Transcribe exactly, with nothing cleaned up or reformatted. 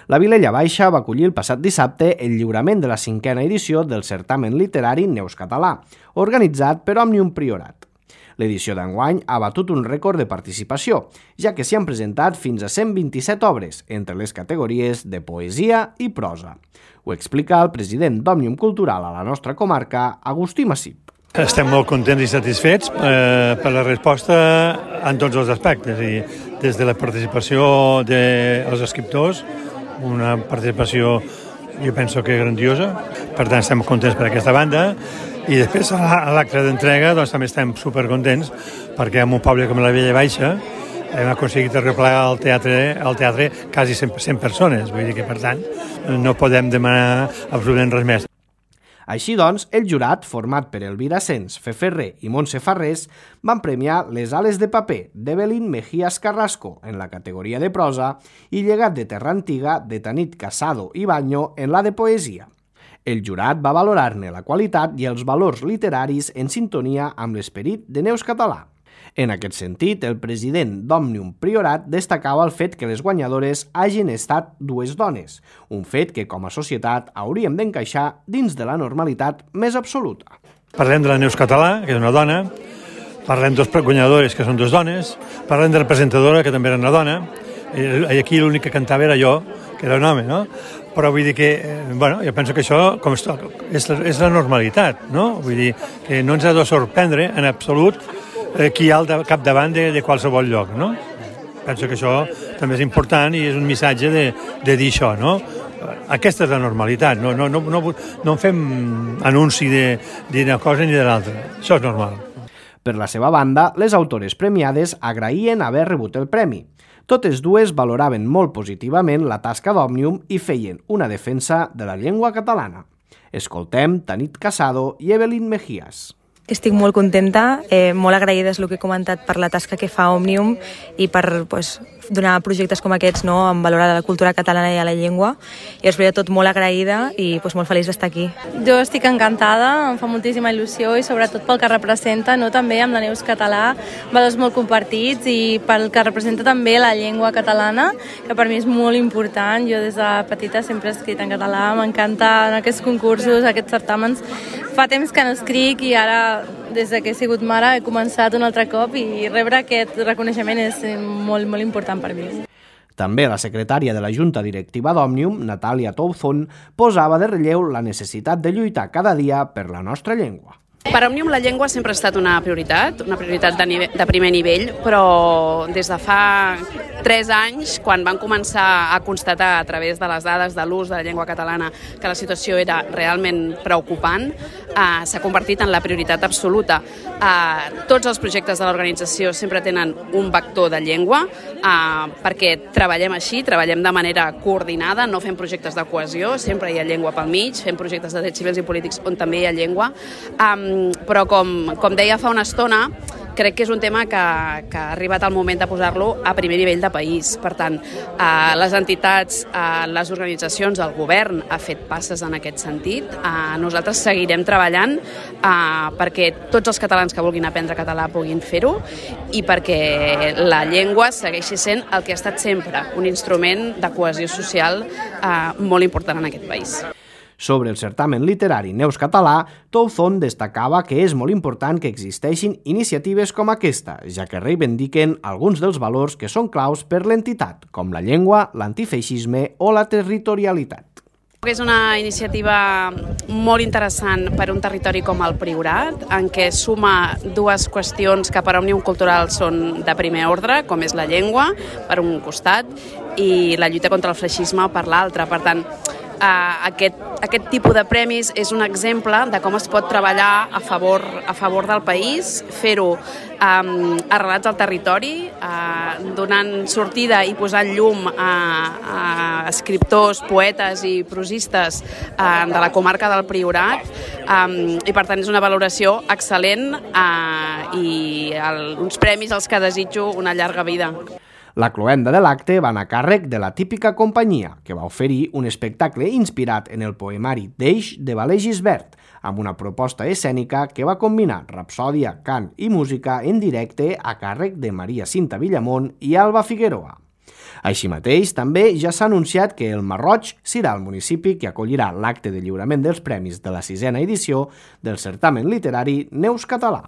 La Vilella Baixa va acollir el passat dissabte el lliurament de la cinquena edició del certamen literari Neus Català, organitzat per Òmnium Priorat. L'edició d'enguany ha batut un rècord de participació, ja que s'hi han presentat fins a cent vint-i-set obres, entre les categories de poesia i prosa. Ho explica el president d'Òmnium Cultural a la nostra comarca, Agustí Massip. Estem molt contents i satisfets eh, per la resposta en tots els aspectes, i des de la participació dels escriptors, una participació jo penso que grandiosa, per tant estem contents per aquesta banda, i després a l'acte d'entrega doncs, també estem supercontents perquè en un poble com la Vilella Baixa hem aconseguit arreplegar al teatre, al teatre quasi cent persones, vull dir que per tant no podem demanar absolutament res més. Així doncs, el jurat, format per Elvira Sens, Fe Ferrer i Montse Farrés, van premiar Les ales de paper d'Evelyn Mejías Carrasco en la categoria de prosa i Llegat de terra antiga de Tanit Casado i Baño en la de poesia. El jurat va valorar-ne la qualitat i els valors literaris en sintonia amb l'esperit de Neus Català. En aquest sentit, el president d'Òmnium Priorat destacava el fet que les guanyadores hagin estat dues dones, un fet que com a societat hauríem d'encaixar dins de la normalitat més absoluta. Parlem de la Neus Català, que és una dona, parlem dels guanyadores, que són dues dones, parlem de la presentadora, que també era una dona, i aquí l'únic que cantava era jo, que era un home, no? Però vull dir que, bueno, jo penso que això com és, és la normalitat, no? Vull dir que no ens ha de sorprendre en absolut qui hi ha al capdavant de, de qualsevol lloc, no? Penso que això també és important i és un missatge de, de dir això, no? Aquesta és la normalitat, no, no, no, no, no en fem anunci d'una cosa ni de l'altra, això és normal. Per la seva banda, les autores premiades agraïen haver rebut el premi. Totes dues valoraven molt positivament la tasca d'Òmnium i feien una defensa de la llengua catalana. Escoltem Tanit Casado i Evelyn Mejías. Estic molt contenta, eh, molt agraïda és el que he comentat per la tasca que fa Òmnium i per pues, donar projectes com aquests, no, en valor a la cultura catalana i a la llengua. I és tot molt agraïda i pues, molt feliç d'estar aquí. Jo estic encantada, em fa moltíssima il·lusió i sobretot pel que representa, no, també amb la Neus Català, valors molt compartits i pel que representa també la llengua catalana, que per mi és molt important. Jo des de petita sempre he escrit en català, m'encanten aquests concursos, aquests certàmens. Fa temps que no escric i ara, des que he sigut mare, he començat un altre cop i rebre aquest reconeixement és molt, molt important per mi. També la secretària de la Junta Directiva d'Òmnium, Natàlia Touzón, posava de relleu la necessitat de lluitar cada dia per la nostra llengua. Per Òmnium la llengua sempre ha estat una prioritat, una prioritat de, nivell, de primer nivell, però des de fa tres anys, quan van començar a constatar a través de les dades de l'ús de la llengua catalana que la situació era realment preocupant, eh, s'ha convertit en la prioritat absoluta. Eh, tots els projectes de l'organització sempre tenen un vector de llengua, eh, perquè treballem així, treballem de manera coordinada, no fem projectes de cohesió, sempre hi ha llengua pel mig, fem projectes de drets civils i polítics on també hi ha llengua, eh, però com, com deia fa una estona, crec que és un tema que, que ha arribat el moment de posar-lo a primer nivell de país. Per tant, eh, les entitats, eh, les organitzacions, el govern ha fet passes en aquest sentit. Eh, nosaltres seguirem treballant eh, perquè tots els catalans que vulguin aprendre català puguin fer-ho i perquè la llengua segueixi sent el que ha estat sempre, un instrument de cohesió social eh, molt important en aquest país. Sobre el certamen literari Neus Català, Touzón destacava que és molt important que existeixin iniciatives com aquesta, ja que reivindiquen alguns dels valors que són claus per l'entitat, com la llengua, l'antifeixisme o la territorialitat. És una iniciativa molt interessant per un territori com el Priorat, en què suma dues qüestions que per Òmnium Cultural són de primer ordre, com és la llengua, per un costat, i la lluita contra el feixisme per l'altre. Per tant, Uh, aquest, aquest tipus de premis és un exemple de com es pot treballar a favor, a favor del país, fer-ho um, arrelats al territori, uh, donant sortida i posant llum a, a escriptors, poetes i prosistes uh, de la comarca del Priorat, um, i per tant és una valoració excel·lent uh, i el, uns premis als que desitjo una llarga vida. La cloenda de l'acte va anar a càrrec de la Típica Companyia, que va oferir un espectacle inspirat en el poemari d'Eix de Valer Gisbert, amb una proposta escènica que va combinar rapsòdia, cant i música en directe a càrrec de Maria Cinta Villamont i Alba Figueroa. Així mateix, també ja s'ha anunciat que el Masroig serà el municipi que acollirà l'acte de lliurament dels premis de la sisena edició del certamen literari Neus Català.